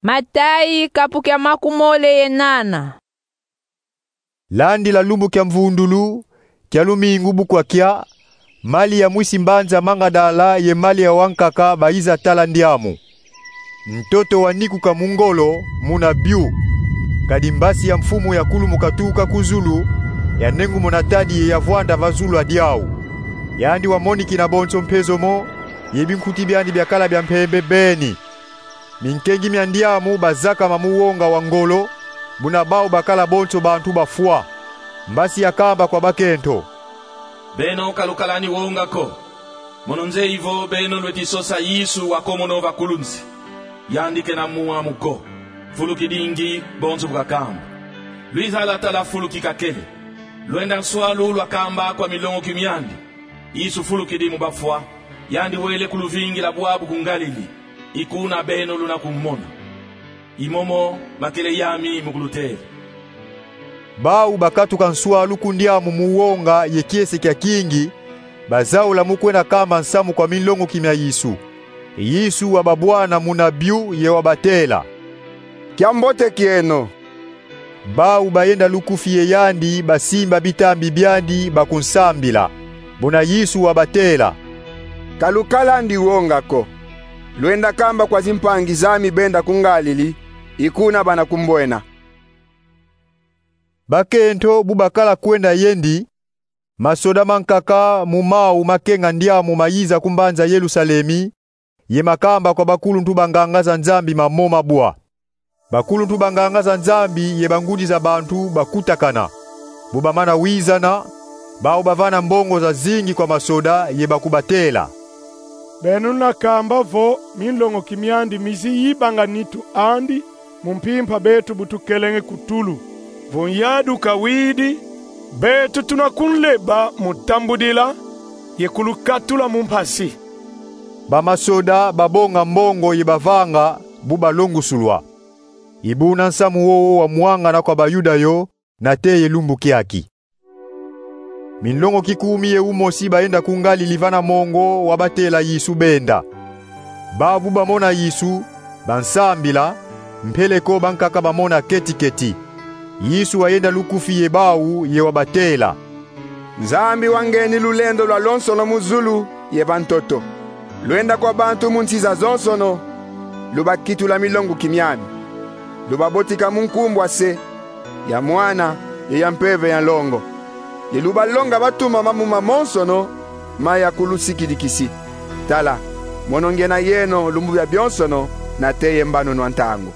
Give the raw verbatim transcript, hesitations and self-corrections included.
Matayi, kapu kia makumole ye nana. Landila lumbu kia mvundulu, kia lumingu bu kwakya, Malia mwisi mbanza Mangadala ye Malia wankaka bayiza tala ndiamu. Ntoto wanikuka mu ngolo, muna biu. Kadi mbasi ya Mfumu yakulumuka tuka ku zulu, yanengumuna tadi ye yavwanda va zulu a diau. Yandi wamonikina bonso mpezomo, ye binkuti biandi biakala bia mpembe beni. Minkengi mia ndiamu bazakama mu wonga wa ngolo, buna bau bakala bonso bantu bafwa. Mbasi yakamba kwa bakento: Beno ka lukala ni wonga ko. Mono nzeye vo beno lweti sosa Yesu wakomono va kulunsi. Yandi kena mu mwamu ko. Fulu kidingi bonso bu kakamba. Lwiza lwa tala fulu kikakele. Lwenda nswalu lwakamba kwa milongoki miandi: Yesu fulukidi mu bafwa, yandi wele ku luvingila bwabu ku Ngalili, i kuna beno luna kumona. I momo bakele yami mu kulutela. Bau bakatuka nswalu ku ndiamu mu wonga ye kiese kia kingi, bazaula mu kwenda kamba nsamu kwa minlongoki mia Yesu. Yesu wababwana muna biu ye wabatela: Kiambote kieno. Bau bayenda lukufi ye yandi, basimba bitambi biandi, bakunsambila. Buna Yesu wabatela: Ka lukala ndi wonga ko. Lwenda kamba kwa zimpangi zami benda ku Ngalili, i kuna bana kumbwena. Bakento bu bakala kwenda yendi, masoda mankaka mu mau makenga ndiamu mayiza ku mbanza Yerusalemi, ye makamba kwa bakuluntu ba nganga za Nzambi mamo mabwa. Bakuluntu ba nganga za Nzambi ye bangudi za bantu bakutakana. Bu bamana wizana, bau bavana mbongo zazingi kwa masoda ye bakubatela: Beno luna kamba vo minlongoki miandi mizi yibanga nitu andi mu mpimpa beto bu tukelenge ku tulu. Vo nyadu kawidi, beto tuna kunleba mu tambudila ye kulukatula mu mpasi. Bamasoda babonga mbongo ye bavanga bu balongusulwa. I buna nsamu wowo wamwangana kwa Bayuda yo, nate ye lumbu kiaki. Minlongoki kumi ye umosi bayenda ku Ngalili vana mongo wabatela Yesu benda. Bau bu bamona Yesu, bansambila, mpeleko bankaka bamona keti-keti. Yesu wayenda lukufi ye bau ye wabatela: Nzambi wangeni lulendo lwalonsono mu zulu ye va ntoto. Lwenda kwa bantu mu nsi zazonsono, lubakitula milongoki miami. Lubabotika mu nkumbu a Se, ya Mwana, ye ya Mpeve ya Nlongo. Ye lubalonga batuma mambu mamonsono maya kulusikidikisi. Tala, mono ngiena yeno lumbu bia bionsono, nate ye mbanunu a ntangu.